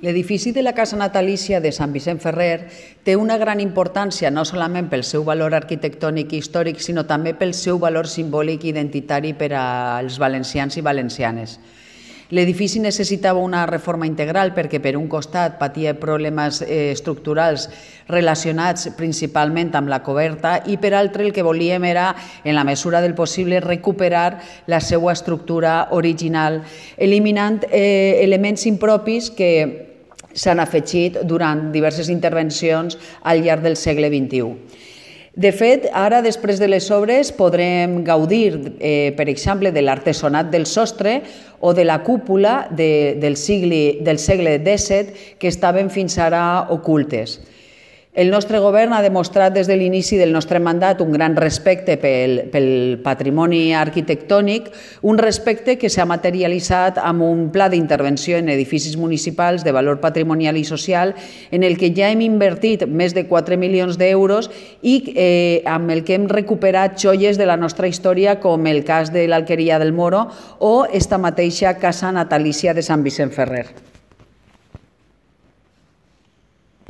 L'edifici de la Casa Natalícia de Sant Vicent Ferrer té una gran importància no solament pel seu valor arquitectònic i històric, sinó també pel seu valor simbòlic i identitari per als valencians i valencianes. L'edifici necessitava una reforma integral perquè, per un costat, patia problemes estructurals relacionats principalment amb la coberta i, per altre, el que volíem era, en la mesura del possible, recuperar la seva estructura original, eliminant elements impropis que s'han afegit durant diverses intervencions al llarg del segle XXI. De fet, ara, després de les obres, podrem gaudir, per exemple, de l'artesonat del sostre o de la cúpula del segle XVII que estaven fins ara ocultes. El nostre govern ha demostrat des de l'inici del nostre mandat un gran respecte pel patrimoni arquitectònic, un respecte que s'ha materialitzat amb un pla d'intervenció en edificis municipals de valor patrimonial i social en el que ja hem invertit més de 4 milions d'euros i amb el que hem recuperat joies de la nostra història, com el cas de l'Alqueria del Moro o esta mateixa Casa Natalícia de Sant Vicent Ferrer.